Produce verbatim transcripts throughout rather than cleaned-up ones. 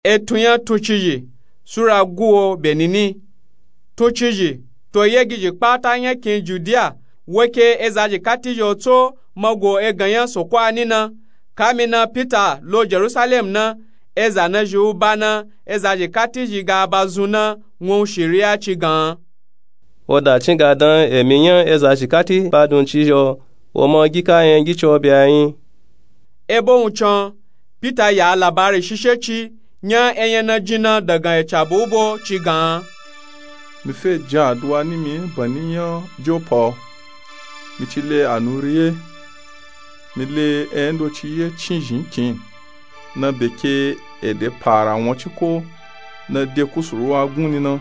Etun nya tuncizhi sura guwo bye nini. Tuncizhi to yegizhi kpata nya kin judiya woke ezazhi kati zhi otso mago egan nya soko ani na. Kamina pita lo jerusalem na, eza nazhi uba na ezazhi kati zhi ga ba zun na wun shiriya ci gan. Wo da cin ga dan emi nya ezazhi kati ba dun ci zhi o, wo ma gi ka nya gi co bye a yin. Ebo wuncin pita ya labari shishe ci nya enya na jin na dagan ecabu ubo ci gan. Mi fe jin aduwa nimi bani nya jopa o. Mi ci le anuri ye. Mi le enya ndo ci ye cin zhin kin na bye ke ede para won ci ko na de kusuru wa gun ni na.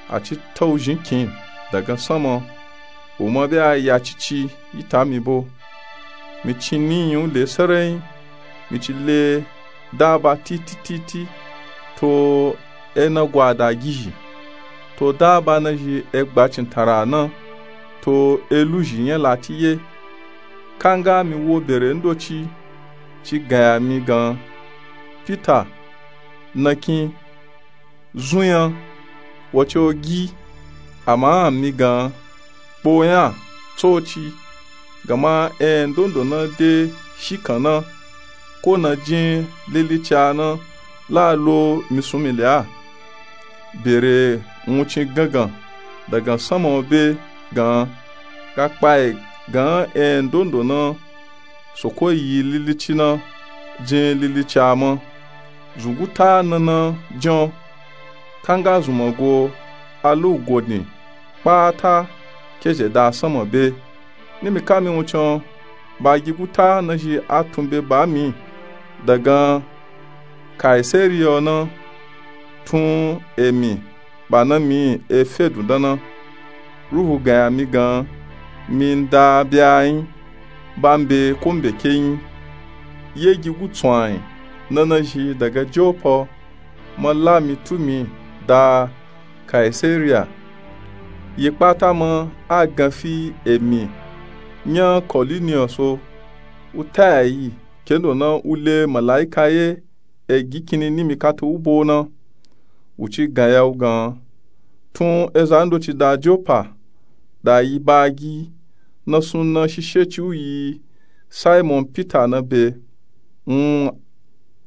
A ci tau zhin kin dagan sama. Wo ma bye a ya cici yi ta mi bo. Mi ci ni yin u le sarai. Mi ci le daba titititi to ena gwada gizhi to daba nazhi egba cintara na to eluzhi nya lati ye. Kanga mi wo bere ndoci ci gaya mi gan pita na kin zun nya. Wo ci o gi. Ama mi gan kpo nya tsoci gama enya ndondo na de shikan na ko na jin lilicia na la lo mi sun mi le a. Bere wuncin gangan dagan sama o be gan ga kpayi gan enya ndondo na soko yi lilici na jin lilicia ma. Zunguta nana jan kanga zunmago alugodin kpata kezhe da sama be. Nimi kami wuncin bagi guta nazhi atun be ba mi dagan kaisariya na tun emi ba na mi efe dun dan na. Ruhu gaya mi gan mi nda bye a yin ba mbe ko mbe ke yin. Yegi gutsun ayin na nazhi daga jopa ma la mi tu mi da kaisariya. Yi kpata ma a gan fi emi nya koliniyos o. U taya yi kendo na u le malaika ye egi kini nimi katu ubo na. U ci gaya u gan tun eza ndoci da jopa da yi bagi na sun na shishe ci u yi simon pita na be. Wun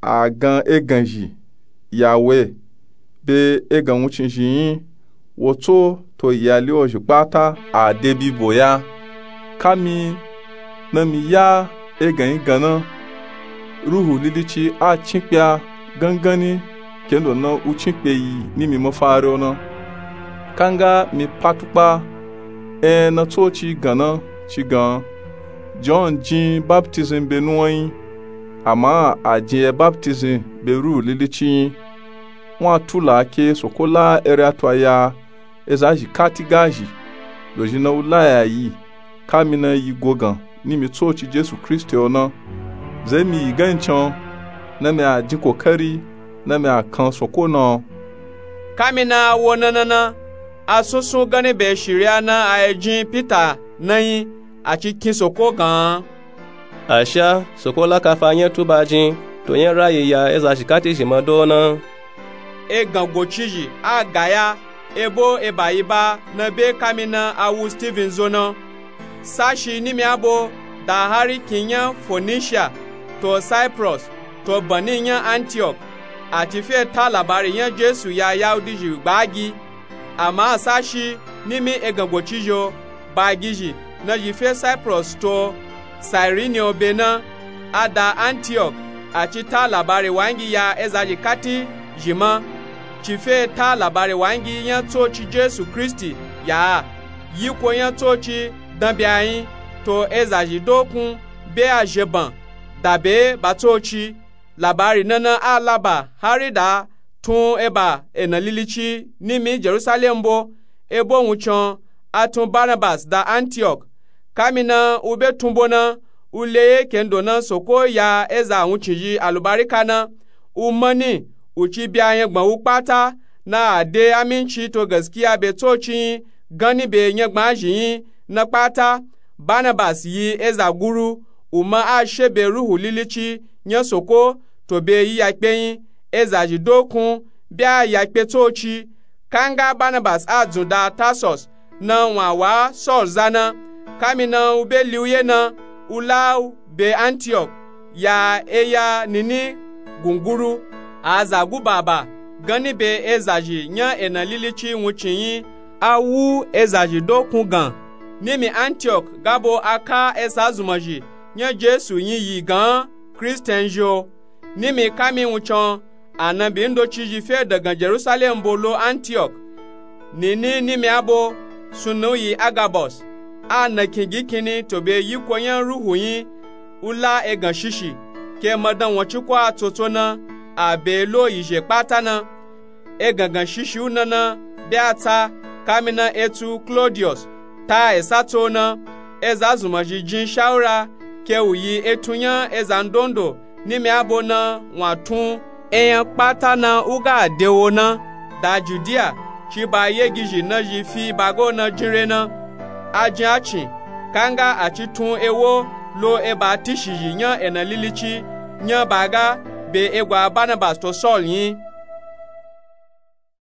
a gan egan zhi ya we be egan wuncin zhi yin. Wo tso to yali ozhi kpata a de bibo ya. Kami na mi ya egan yi gan na ruhu lilici a cin kpe a gangan ni kendo na u cin kpe yi nimi mafari o na. Kanga mi pa tukpa enya na tsoci gan na ci gan. John jin baptism be nuwan yin ama a jin ye baptism be ruhu lilici yin. Wun a tula ke soko la ere ato a ya ezazhi kati gazhi dozhi na u laya yi kami na yi gogan nimi tsoci jesu kristi o na. Ze mi yi gan yi can na mi a jin kokari na mi a kan soko na o. Kami na a wo na na na a sunsun ganni be shiriya na a yi jin pita na yin a ci kin soko gan. Asha soko la kafa nya tuba jin to nya rayi ya ezazhi kati zhi ma do na. Egan gocizhi a gaya ebo eba yi ba na be kami na a wu steven zo na. Sashi nimi abo da hari kin nya fonishiya to cyprus to bani nya antiok a ci fe ta labari nya jesu ya yaudizhi gbagi. Ama sashi nimi egan gocizhi o bagizhi nazhi fe cyprus to sairini o be na a da antiok a ci ta labari wangi ya ezazhi kati zhi ma. Ci fe ta labari wangi nya tsoci jesu kristi ya a yiko nya tsoci dan be a yin to ezazhi dokun be a zheban da be ba tsoci. Labari na na a laba hari da tun eba ena lilici nimi jerusalem bo. Ebo wuncin a tun barnabas da antiok. Kami na u be tun bo na u le ye kendo na soko ya eza wuncin zhi alubarika na. U mani u ci bya nyagban wu kpata na a de aminci to gaskiya be tsoci yin ganni be nyagban zhi yin na kpata. Barnabas yi eza guru u ma a she be ruhu lilici nya soko to be yi ya kpe yin. ezazhi dokun be a yakpe tsoci. Kanga banabas a dzun da tarsus na wun a wa saul za na, kamina u be liuye na, u la u be antiok ya eya nini gunguru, a za gu baba ganni be ezazhi nya ena lilici wuncin nyi. A wu ezazhi dokun gan nimi antiok gabo a ka esa zumanzhi nya jesu nyi yi gan kristian zhi o. Nimi kami wuncin, anabi ndocizhi fe dagan jerusalem bo lo antiok. Nini nimi abo sunnu yi agabus, a nakin gikinni to be yiko nya ruhu nyi u la egan shishi ke madan wancin ko a tsotso na, a be lo yizhe kpata na. Egangan shishi u nana be a tsa, kamina etsu klodius ta esa tso na. Eza zumanzhi jin shawura ke u yi etun nya eza ndondo nimi abo na wun a tun eyan kpata na u ga de wo na da judiya. Ci ba yegizhi nazhi fi bago na jinre na. A jin a cin kanga a ci tun ewo lo eba tishizhi nya ena lilici nya baga be egwa banabas to saul nyi.